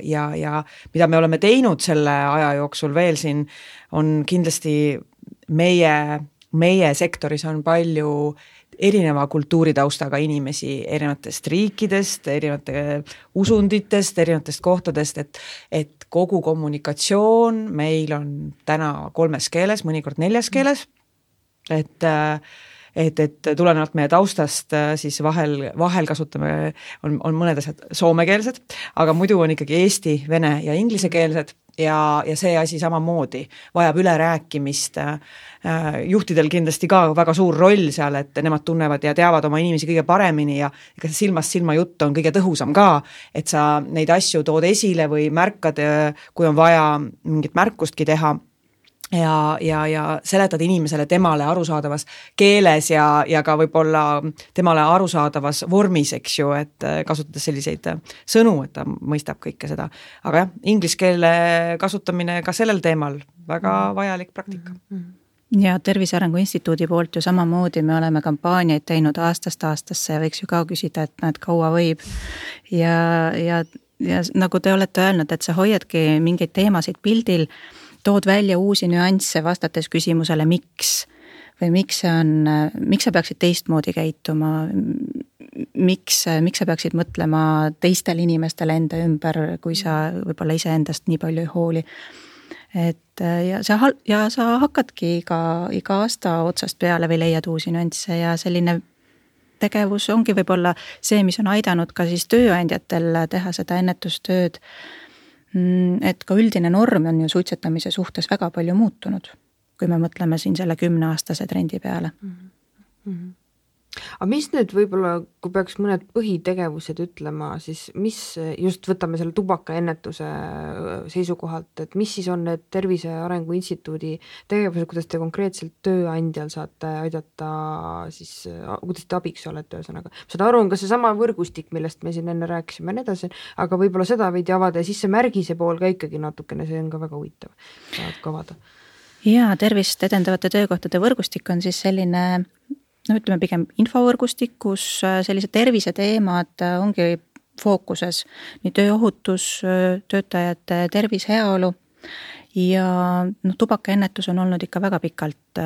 ja, ja mida me oleme teinud selle aja jooksul veel siin, on kindlasti meie, meie sektoris on palju erineva kultuuritaustaga inimesi erinevatest riikidest, erinevate usunditest, erinevatest kohtadest, et, et kogu kommunikatsioon meil on täna kolmes keeles, mõnikord neljas keeles, et, et, et tulenevalt meie taustast siis vahel, vahel kasutame, on, on mõned asjad soomekeelsed, aga muidu on ikkagi eesti, vene ja inglisekeelsed ja, ja see asi samamoodi vajab ülerääkimist. Juhtidel kindlasti ka väga suur roll seal, et nemad tunnevad ja teavad oma inimesi kõige paremini ja ega see silmast silma jutt on kõige tõhusam ka, et sa neid asju tood esile või märkad, kui on vaja mingit märkustki teha ja, ja, ja seletad inimesele temale arusaadavas keeles ja, ja ka võib-olla temale arusaadavas vormis, eks ju, et kasutades selliseid sõnu, et ta mõistab kõike seda. Aga jah, inglise keele kasutamine ka sellel teemal väga vajalik praktika. Ja Tervise Arengu Instituudi poolt ju samamoodi me oleme kampaaniaid teinud aastast aastasse ja võiks ju ka küsida, et näed, kaua võib. Ja, ja, ja nagu te olete öelnud, et sa hoiadki mingeid teemasid pildil, tood välja uusi nüansse vastates küsimusele, miks või miks, see on, miks sa peaksid teistmoodi käituma, miks, miks sa peaksid mõtlema teistele inimestele enda ümber, kui sa võib-olla iseendast nii palju ei hooli. Et ja sa, ja sa hakkadki iga, iga aasta otsast peale või leiad uusi nüansse ja selline tegevus ongi võib-olla see, mis on aidanud ka siis tööandjatel teha seda ennetustööd. Et ka üldine norm on ju suitsetamise suhtes väga palju muutunud, kui me mõtleme siin selle kümneaastase trendi peale. Mm-hmm. Aga mis nüüd võib-olla, kui peaks mõned põhitegevused ütlema, siis mis just võtame selle tubakaennetuse seisukohalt, et mis siis on need Tervise Arengu Instituudi tegevused, kuidas te konkreetselt tööandjal saate aidata, siis kuidas te abiks olete ühesõnaga? Seda aru on ka see sama võrgustik, millest me siin enne rääkisime ja nii edasi, aga võib-olla seda veidi avada ja siis see märgise pool ka ikkagi natukene, see on ka väga huvitav. Saad ka avada. Ja tervist edendavate töökohtade võrgustik on siis selline no ütleme pigem infovõrgustik, kus sellised terviseteemad ongi fookuses, nii tööohutus, töötajate tervis, heaolu ja no, tubakaennetus on olnud ikka väga pikalt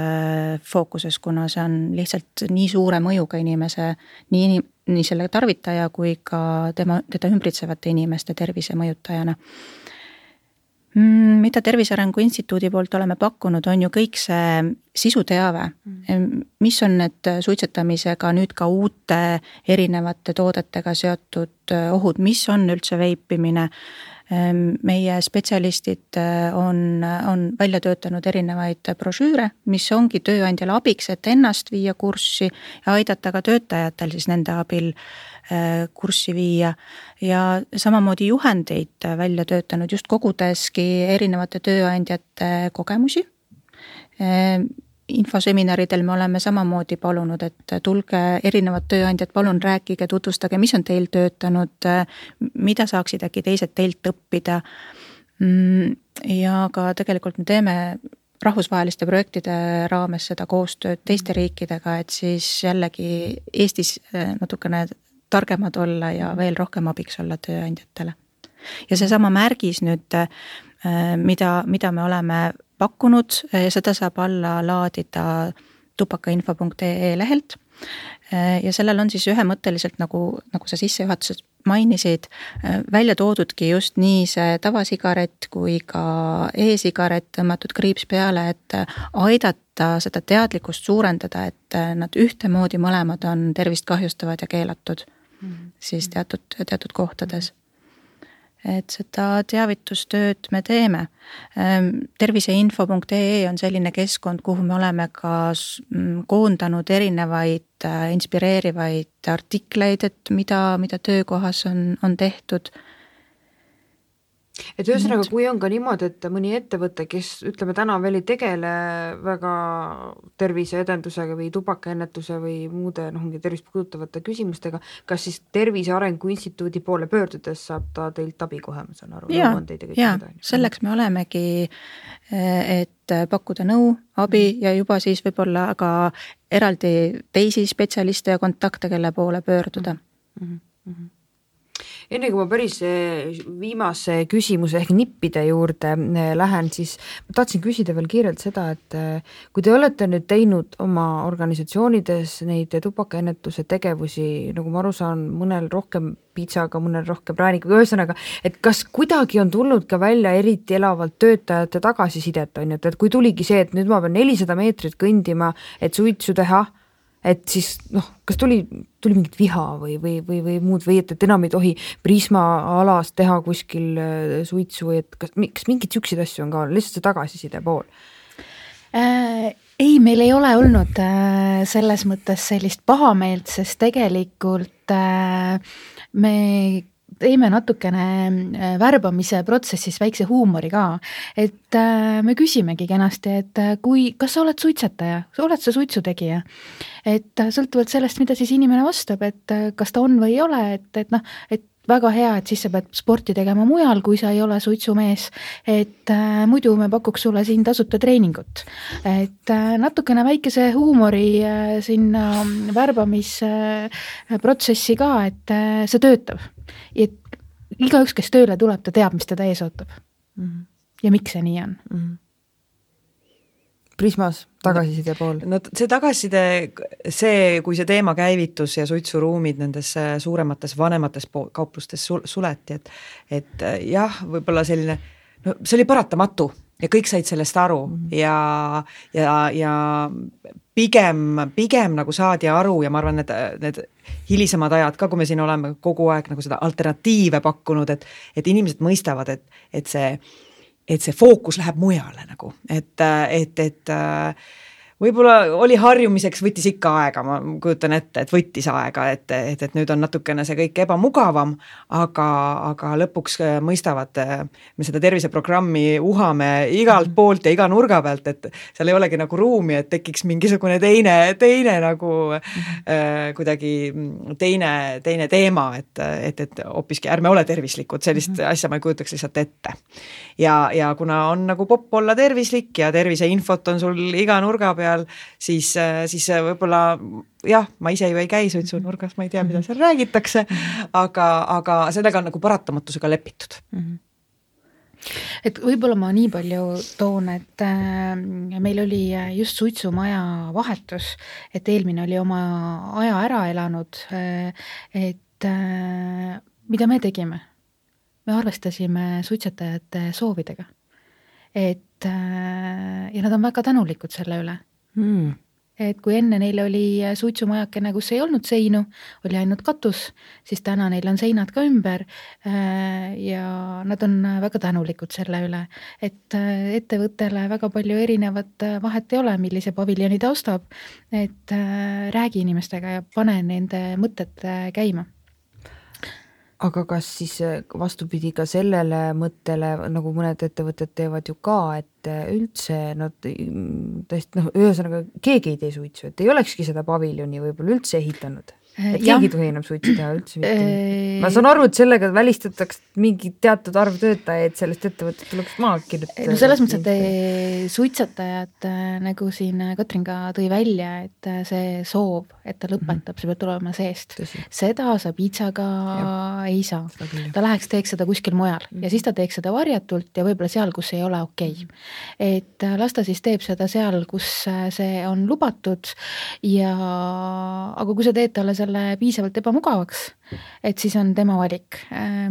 fookuses, kuna see on lihtsalt nii suure mõjuga inimese, nii, nii selle tarvitaja kui ka tema, teda ümbritsevate inimeste tervise mõjutajana. Mida Tervise Arengu Instituudi poolt oleme pakkunud, on ju kõik see sisuteave, mis on need suitsetamisega nüüd ka uute erinevate toodetega seotud ohud, mis on üldse veipimine. Meie spetsialistid on, on välja töötanud erinevaid brošüüre, mis ongi tööandjale abiks, et ennast viia kurssi ja aidata ka töötajatel siis nende abil kurssi viia ja samamoodi juhendeid välja töötanud just kogudeski erinevate tööandjate kogemusi. Infoseminaridel me oleme samamoodi palunud, et tulge erinevad tööandjad, palun rääkige, tutvustage, mis on teil töötanud, mida saaksid äkki teised teilt õppida. Ja ka tegelikult me teeme rahvusvaheliste projektide raames seda koostööd teiste riikidega, et siis jällegi Eestis natukene targemad olla ja veel rohkem abiks olla tööandjatele. Ja see sama märgis nüüd, mida, mida me oleme pakkunud, seda saab alla laadida tubakainfo punkt ee lehelt ja sellel on siis ühemõtteliselt, nagu, nagu sa sissejuhatuses mainisid, välja toodudki just nii see tavasigaret kui ka e-sigaret tõmmatud kriips peale, et aidata seda teadlikkust suurendada, et nad ühtemoodi mõlemad on tervist kahjustavad ja keelatud mm-hmm. siis teatud, teatud kohtades. Et seda teavitustööd me teeme. Terviseinfo punkt ee on selline keskkond, kuhu me oleme ka koondanud erinevaid inspireerivaid artikleid, et mida, mida töökohas on, on tehtud. Et ühesõnaga, kui on ka niimoodi, et mõni ettevõte, kes ütleme täna veel ei tegele väga terviseedendusega või tubakaennetuse või muude noh, tervist puudutavate küsimustega, kas siis Tervise Arengu Instituudi poole pöördudes saab ta teilt abi kohe, ma saan aru? Ja, ja selleks me olemegi, et pakkuda nõu, abi ja juba siis võib-olla ka eraldi teisi spetsialiste ja kontakte, kelle poole pöörduda. Mm-hmm. Mm-hmm. Enne kui ma päris viimase küsimuse ehk nippide juurde lähen, siis ma tahtsin küsida veel kiirelt seda, et kui te olete nüüd teinud oma organisatsioonides neid tubakaennetuse tegevusi, nagu ma aru saan, mõnel rohkem pitsaga, mõnel rohkem praanikuga, ühesõnaga, et kas kuidagi on tulnud ka välja eriti elavalt töötajate tagasisidet, on ju, et kui tuligi see, et nüüd ma pean nelisada meetrit kõndima, et suitsu teha, et siis noh, kas tuli, tuli mingit viha või, või, või, või muud või et, et enam ei tohi Prisma alas teha kuskil suitsu või et kas, kas mingid süksid asju on ka, lihtsalt see tagasiside pool? Äh, ei, meil ei ole olnud äh, selles mõttes sellist pahameelt, sest tegelikult äh, me teeme natukene värbamise protsessis väikse huumori ka, et me küsimegi kenasti, et kui, kas sa oled suitsetaja, oled sa suitsutegija, et sõltuvalt sellest, mida siis inimene vastab, et kas ta on või ei ole, et, et noh, et väga hea, et siis sa pead sporti tegema mujal, kui sa ei ole suitsumees, et äh, muidu me pakuks sulle siin tasuta treeningut. Et äh, natukene väikese huumori äh, sinna värbamisprotsessi äh, ka, et äh, see töötab. Et igaüks, kes tööle tuleb, ta teab, mis teda ees ootab. Mm-hmm. Ja miks see nii on? Mm-hmm. Prismas tagasiside pool? No see tagasiside, see, kui see teema käivitus ja suitsuruumid nendes suuremates vanemates kauplustes suleti, et, et jah, võib-olla selline, no see oli paratamatu ja kõik said sellest aru mm-hmm. ja, ja, ja pigem, pigem nagu saadi aru ja ma arvan, need, need hilisemad ajad ka, kui me siin oleme kogu aeg nagu seda alternatiive pakkunud, et, et inimesed mõistavad, et, et see et see fookus läheb mujale nagu, et, et, et võib-olla oli harjumiseks, võttis ikka aega, ma kujutan ette, et võttis aega, et, et, et nüüd on natukene see kõik ebamugavam, aga, aga lõpuks mõistavad, me seda terviseprogrammi uhame igalt poolt ja iga nurga pealt, et seal ei olegi nagu ruumi, et tekiks mingisugune teine, teine nagu äh, kuidagi teine, teine teema, et, et, et hoopiski ärme ole tervislikud, sellist asja ma ei kujutaks lihtsalt ette. Ja, ja kuna on nagu popp olla tervislik ja terviseinfot on sul iga nurga peal, siis, siis võib-olla jah, ma ise ju ei käi suitsunurgas, ma ei tea, mida seal räägitakse, aga, aga sellega on nagu paratamatusega lepitud. Et võib-olla ma nii palju toon, et meil oli just suitsumaja vahetus, et eelmine oli oma aja ära elanud, et mida me tegime? Me arvestasime suitsetajate soovidega. Et, ja nad on väga tänulikud selle üle. Hmm. Et kui enne neil oli suitsumajakene, kus ei olnud seinu, oli ainult katus, siis täna neil on seinad ka ümber ja nad on väga tänulikud selle üle. Et ettevõttele väga palju erinevat vahet ei ole, millise paviljoni ta ostab, et räägi inimestega ja pane nende mõtted käima. Aga kas siis vastupidi ka sellele mõttele, nagu mõned ettevõtted teevad ju ka, et üldse nad tõesti, noh, ühesõnaga keegi ei tee suitsu, et ei olekski seda paviljoni võib-olla üldse ehitanud? Et keegi tohi enam suitsu teha üldse mitte. Ma saan aru, et sellega välistataks mingi teatud arv töötajaid, sellest ettevõtet tuleks maha kirjutada. No selles mõttes, et suitsetajad, nagu siin Katrin ka tõi välja, et see soov, et ta lõpetab, see peab tulema seest. Tõsi. Seda sa piitsaga ja. Ei saa. Ta läheks teeks seda kuskil mujal ja siis ta teeks seda varjatult ja võib-olla seal, kus ei ole okei. Et las ta siis teeb seda seal, kus see on lubatud ja aga kui sa teed talle selle piisavalt ebamugavaks, et siis on tema valik,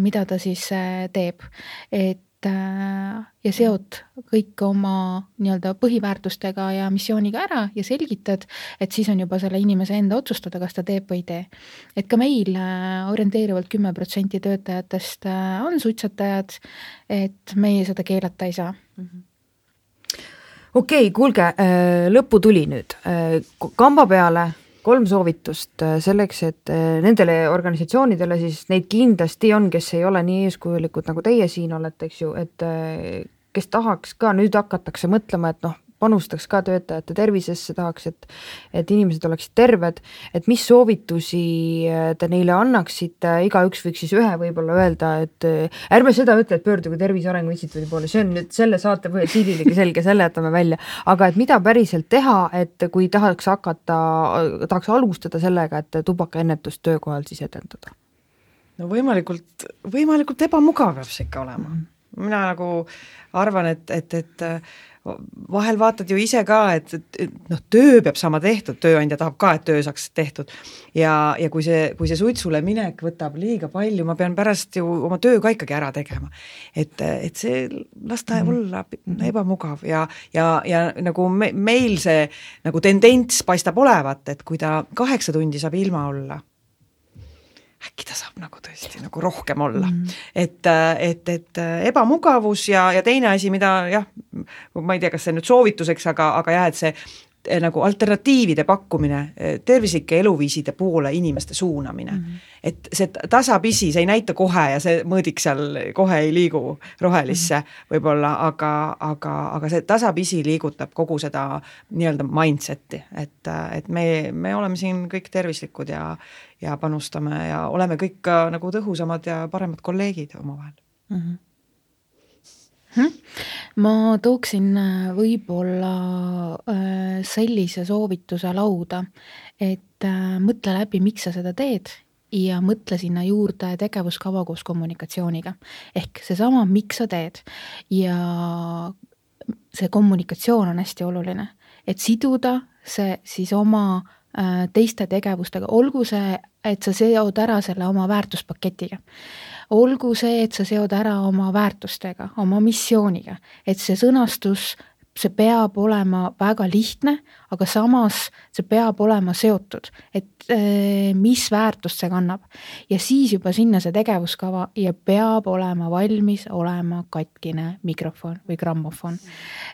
mida ta siis teeb. Et ja seot kõik oma nii-öelda põhiväärtustega ja missiooniga ära ja selgitad, et siis on juba selle inimese enda otsustada, kas ta teeb või ei tee. Et ka meil orienteerivalt kümme protsenti töötajatest on suitsetajad, et meie seda keelata ei saa. Okei, kuulge, lõppu tuli nüüd. Kamba peale kolm soovitust selleks, et nendele organisatsioonidele siis neid kindlasti on, kes ei ole nii eeskujulikud nagu teie siin olete, eks ju, et kes tahaks ka, nüüd hakatakse mõtlema, et noh, panustaks ka töötajate tervisesse, tahaks, et, et inimesed oleksid terved, et mis soovitusi te neile annaksite, igaüks võiks siis ühe võib-olla öelda, et ärme seda ütle, et pöördugu Tervise Arengu Instituudi poole, see on nüüd selle saate või siililegi selge, selle jätame välja, aga et mida päriselt teha, et kui tahaks hakata, tahaks alustada sellega, et tubakaennetust töökohal siis edendada? No võimalikult, võimalikult ebamugav peab see ikka olema. Mina nagu arvan, et, et, et vahel vaatad ju ise ka, et, et noh, töö peab saama tehtud, tööandja tahab ka, et töö saaks tehtud ja, ja kui see, kui see suitsule minek võtab liiga palju, ma pean pärast ju oma töö ka ikkagi ära tegema. Et, et see lasta olla ebamugav ja, ja, ja nagu me, meil see nagu tendents paistab olevat, et kui ta kaheksa tundi saab ilma olla, äkki ta saab nagu tõesti nagu rohkem olla. Mm. Et, et, et ebamugavus ja, ja teine asi, mida jah, ma ei tea, kas see nüüd soovituseks, aga, aga jah, et see nagu alternatiivide pakkumine, tervislike eluviiside poole inimeste suunamine. Mm-hmm. Et see tasapisi, see ei näita kohe ja see mõõdik seal kohe ei liigu rohelisse mm-hmm. võib-olla, aga, aga, aga see tasapisi liigutab kogu seda nii-öelda mindseti, et, et me, me oleme siin kõik tervislikud ja, ja panustame ja oleme kõik ka nagu tõhusamad ja paremad kolleegid omavahel. Mm-hmm. Ma tooksin võib-olla sellise soovituse lauda, et mõtle läbi, miks sa seda teed ja mõtle sinna juurde tegevuskava koos kommunikatsiooniga. Ehk seesama, miks sa teed ja see kommunikatsioon on hästi oluline. et siduda see siis oma teiste tegevustega, olgu see, et sa seod ära selle oma väärtuspaketiga. Olgu see, et sa seod ära oma väärtustega, oma missiooniga, et see sõnastus, see peab olema väga lihtne, aga samas see peab olema seotud, et mis väärtust see kannab. Ja siis juba sinna see tegevuskava ja peab olema valmis olema katkine mikrofon või grammofon.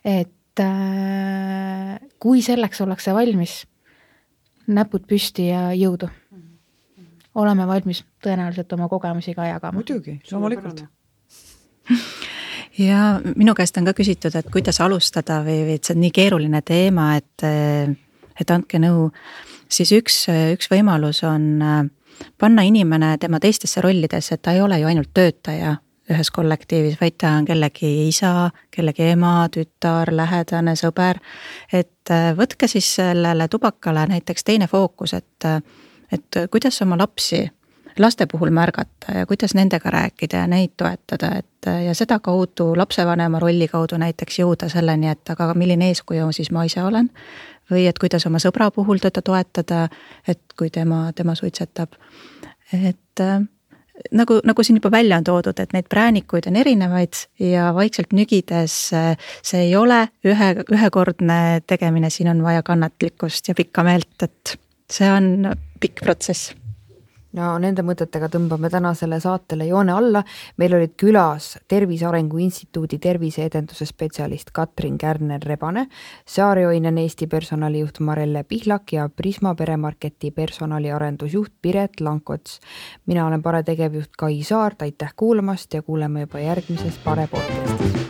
Et kui selleks ollakse valmis, näpud püsti ja jõudu. Oleme valmis tõenäoliselt oma kogemusi ka jagama. Muidugi, loomulikult. Ja minu käest on ka küsitud, et kuidas alustada või, või et see on nii keeruline teema, et, et andke nõu. Siis üks, üks võimalus on panna inimene tema teistesse rollidesse, et ta ei ole ju ainult töötaja ühes kollektiivis, vaid ta on kellegi isa, kellegi ema, tütar, lähedane, sõber. Et võtke siis sellele tubakale näiteks teine fookus, et, et kuidas oma lapsi laste puhul märgata ja kuidas nendega rääkida ja neid toetada, et ja seda kaudu lapsevanema rolli kaudu näiteks jõuda selleni, et aga milline eeskuju siis ma ise olen või et kuidas oma sõbra puhul teda toetada, et kui tema, tema suitsetab. Et Nagu, nagu siin juba välja on toodud, et neid präänikuid on erinevaid ja vaikselt nügides see ei ole ühe, ühekordne tegemine, siin on vaja kannatlikkust ja pikka meelt, et see on pikk protsess. No nende mõtetega tõmbame tänasele saatele joone alla. Meil olid külas Tervise Arengu Instituudi terviseedenduse spetsialist Katrin Kärner-Rebane, Saarjoinen Eesti personalijuht Marelle Pihlak ja Prisma peremarketi personaliarendusjuht Piret Lankots. Mina olen Pare tegevjuht Kai Saart, aitäh kuulamast ja kuuleme juba järgmises Pare podcastis.